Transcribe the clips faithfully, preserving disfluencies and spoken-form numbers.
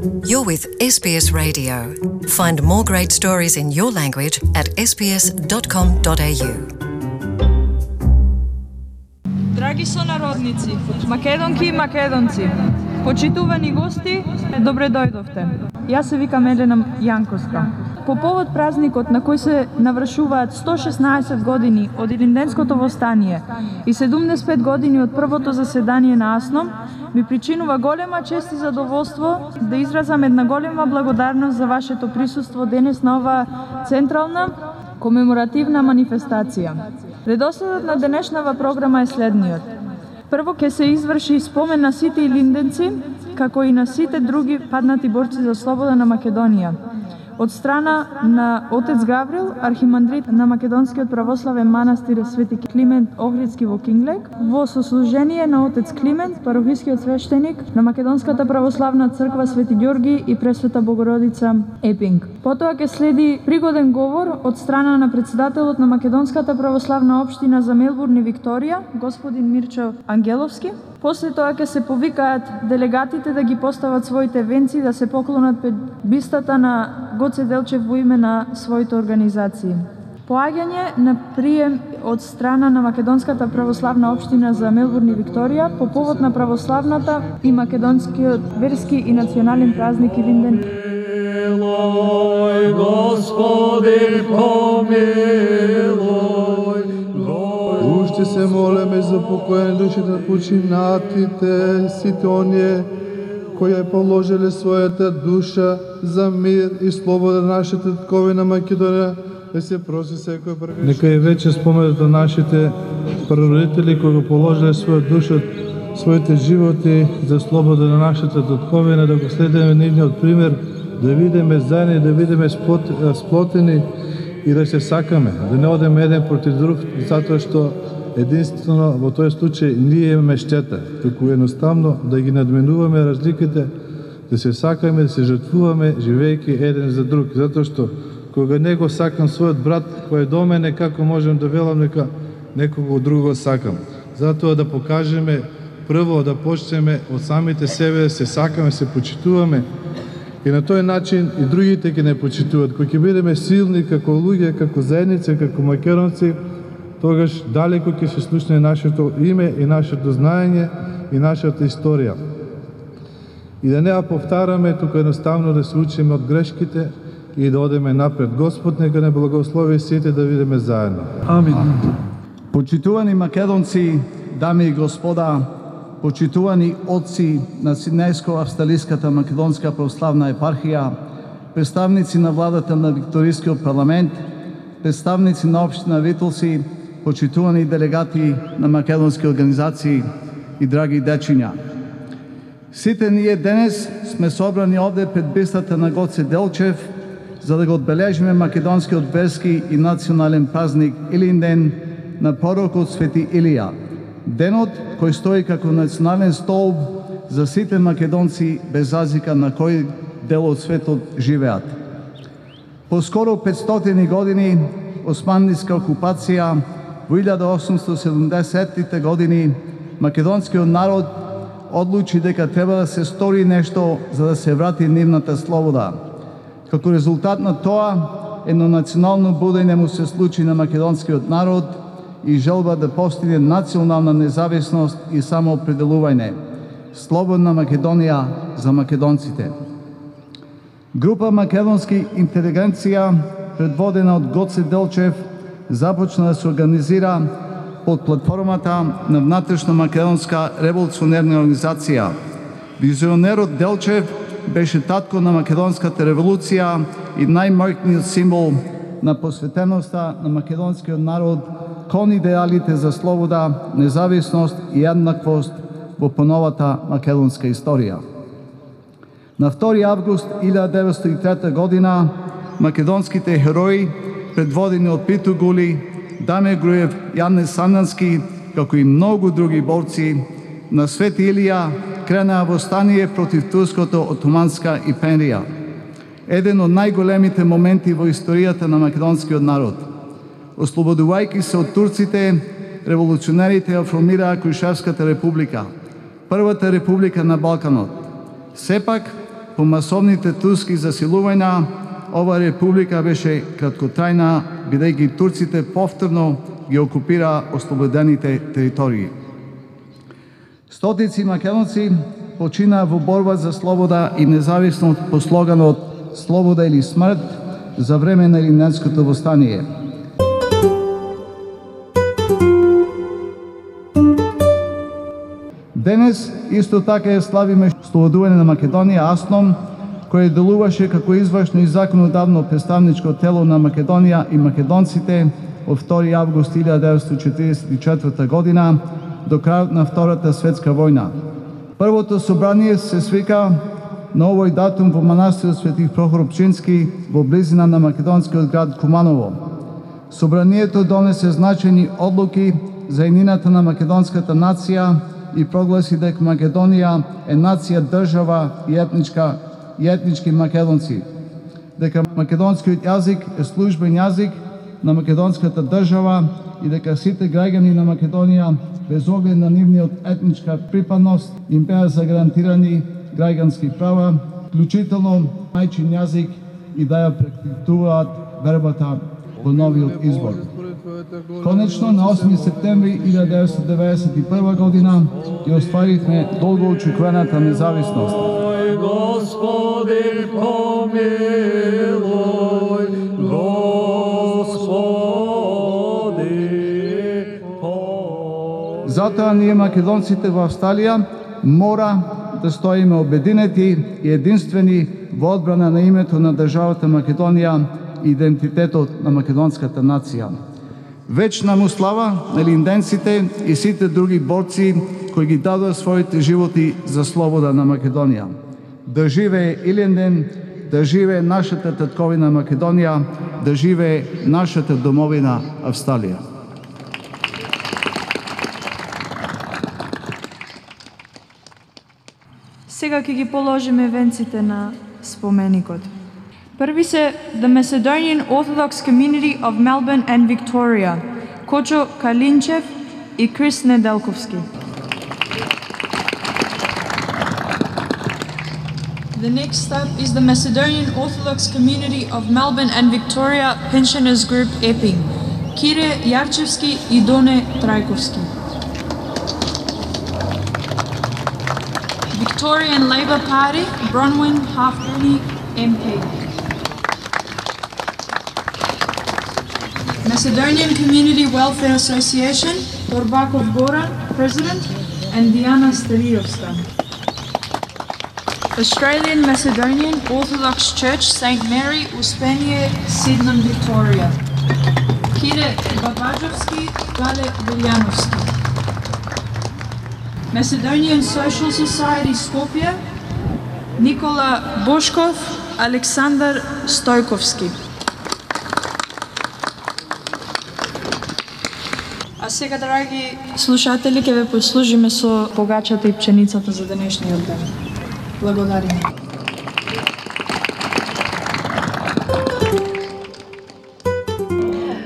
You're with S B S Radio. Find more great stories in your language at s b s dot com dot a u. Драги сонародници, македонки и македонци, почитувани гости, добре дојдовте. Јас се викам Елена Јанковска. По повод празникот на кој се навршуваат сто шеснаесет години од Илинденското востание и седумдесет и пет години од првото заседание на АСНОМ, ми причинува голема чест и задоволство да изразам една голема благодарност за вашето присуство денес на оваа централна комеморативна манифестација. Редоследот на денешнава програма е следниот. Прво ќе се изврши спомен на сите илинденци, како и на сите други паднати борци за слобода на Македонија. Од страна на отец Гаврил, архимандрит на Македонскиот православен манастир Свети Климент Охридски во Кинглек, во сослужение на отец Климент, парохискиот свештеник на Македонската православна црква Свети Ѓорги и Пресвета Богородица Епинг. Потоа ќе следи пригоден говор од страна на председателот на Македонската православна општина за Мелбурн и Викторија, господин Мирчо Ангеловски. После тоа ќе се повикаат делегатите да ги постават своите венци, да се поклонат пред бистата на Гоце Делчев во име на своите организации. Поаѓање на прием од страна на Македонската православна општина за Мелбурн и Викторија по повод на православната и македонскиот верски и национален празник Илинден. Помилуј, Господи, помилуј. Уште се молеме за покојни души на починатите, сите оние кои ја положиле својата душа за мир и слобода на нашата татковина Македонија, да се проси секој прегрешник. Нека е веќе споменато нашите прародители кои го положиле своја душа, своите животи за слобода на нашата татковина, да го следиме нивниот пример, да видиме заедно, да видиме сплот, сплотени и да се сакаме, да не одеме еден против друг, затоа што единствено во тој случај ние имаме штета, туку едноставно да ги надменуваме разликите, да се сакаме, да се жртвуваме, живејќи еден за друг, затоа што кога него сакам својот брат кој е до мене, како можем да велам нека некого друго сакам. Затоа да покажеме прво да почнеме од самите себе, да се сакаме, се почитуваме, и на тој начин и другите ќе не почитуваат. Кога ќе бидеме силни како луѓе, како заедница, како македонци, тогаш далеко ќе се слушне нашето име и нашето знаење и нашата историја. И да не ја повтараме, туку едноставно да се учиме од грешките и да одеме напред. Господ нека не благослови сите да видиме заедно. Амин. Почитувани македонци, дами и господа, почитувани отци на Сиднејско-австралиската македонска православна епархија, представници на владата на Викторискиот парламент, представници на општина Витолси, почитувани делегати на македонски организации и драги дечиња. Сите ние денес сме собрани овде пред бистата на Гоце Делчев за да го одбележиме македонскиот верски и национален празник Илинден на пророкот Свети Илија. Денот кој стои како национален столб за сите македонци без разлика на кој дел од светот живеат. По скоро петстотини години османлиска окупација во илјада осумстотини и седумдесеттите години македонскиот народ одлучи дека треба да се стори нешто за да се врати нивната слобода. Како резултат на тоа, едно национално будење му се случи на македонскиот народ и желба да постигне национална независност и самоопределување. Слободна Македонија за македонците. Група македонски интелигенција, предводена од Гоце Делчев, започна да се организира под платформата на внатрешна македонска револуционерна организација. Визионерот Делчев беше татко на македонската револуција и најмаркниот символ на посветеноста на македонскиот народ кон идеалите за слобода, независност и еднаквост во поновата македонска историја. На втори август илјада деветстотини и трета година македонските херои, предводени од Пито Гули, Даме Груев, Јане Сандански, како и многу други борци на Свети Илија, кренаа востание против турското отоманска империја. Еден од најголемите моменти во историјата на македонскиот народ. Ослободувајќи се од турците, револуционерите ја формираа Крушевската република, првата република на Балканот. Сепак, по масовните турски засилувања, ова република беше краткотрајна, бидејќи турците повторно ги окупира ослободените територии. Стотици македонци починаа во борба за слобода и независност по слоганот «Слобода или смрт» за време на Илинденското востание. Денес исто така е славиме слободување на Македонија АСНОМ, кој делуваше како извршно и законодавно представничко тело на Македонија и македонците од втори август илјада деветстотини четиридесет и четврта година до крајот на Втората светска војна. Првото собрание се свика на овој датум во манастирот Свети Прохор Пчински во близина на македонскиот град Куманово. Собранието донесе значајни одлуки за еднината на македонската нација и прогласи дека Македонија е нација, држава и етничка и етнички македонци, дека македонскиот јазик е службен јазик на македонската држава и дека сите граѓани на Македонија, без оглед на нивниот етничка припадност, им беа загарантирани граѓански права, вклучително мајчин јазик и да ја практикуваат вербата во новиот избор. Конечно, на осми септември илјада деветстотини деветдесет и прва година ја остваривме долго очекуваната независност. Господи, помилуј, Господи, помилуј. Затоа ние македонците во Австралија мора да стоиме обединети и единствени во одбрана на името на државата Македонија и идентитетот на македонската нација. Вечна му слава на илинденците и сите други борци кои ги дадоа своите животи за слобода на Македонија. Да живее Илинден, да живее нашата татковина Македонија, да живее нашата домовина Австралија. Сега ќе ги положиме венците на споменикот. Први се The Macedonian Orthodox Community of Melbourne and Victoria, Кочо Калинчев и Крис Неделковски. The next up is the Macedonian Orthodox Community of Melbourne and Victoria Pensioners Group Epping, Кире Јарчевски и Доне Трајковски. Victorian Labour Party, Bronwyn Halfpenny, M P. Macedonian Community Welfare Association, Torбаков Goran, President, and Diana Steriovska. Australian Macedonian Orthodox Church, Saint Mary, Uspenie, Sydenham, Victoria. Kire Babajovski, Gale Viljanovski. Macedonian Social Society, Skopje, Nikola Boškov, Aleksandar Stojkovski. А сега, драги слушатели, ќе ве послужиме со погачата и пченицата за денешниот ден. Благодариме.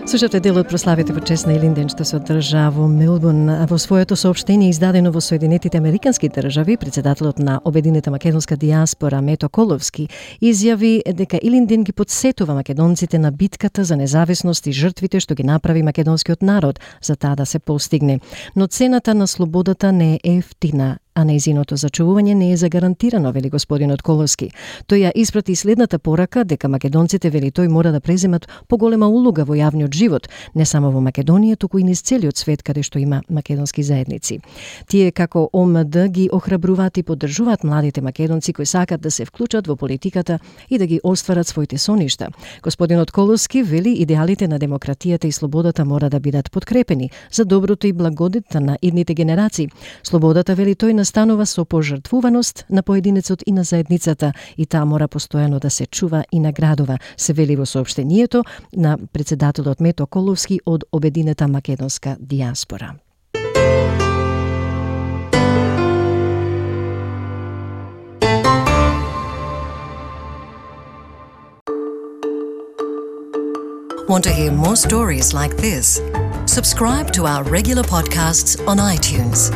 Слушате дел од прославите во чест на Илинден што се одржа во Мелбурн. Во своето соопштение издадено во Соединетите Американски држави, председателот на обединета македонска дијаспора Мето Коловски изјави дека Илинден ги потсетува македонците на битката за независност и жртвите што ги направи македонскиот народ за таа да се постигне. Но цената на слободата не е ефтина, а нејзиното зачувување не е загарантирано, вели господинот Коловски. Тој ја испрати следната порака дека македонците, вели тој, мора да преземат поголема улога во јавниот живот, не само во Македонија, туку и низ целиот свет каде што има македонски заедници. Тие како О М Д ги охрабруваат и поддржуваат младите македонци кои сакат да се вклучат во политиката и да ги остварат своите соништа. Господинот Коловски вели идеалите на демократијата и слободата мора да бидат подкрепени за доброто и благодетта на идните генерации. Слободата, вели тој, станува со пожртвуваност на поединецот и на заедницата и таа мора постојано да се чува и наградува, се вели во соопштението на председателот Мето Коловски од обединета македонска дијаспора. Want to hear more stories like this? Subscribe to our regular podcasts on iTunes.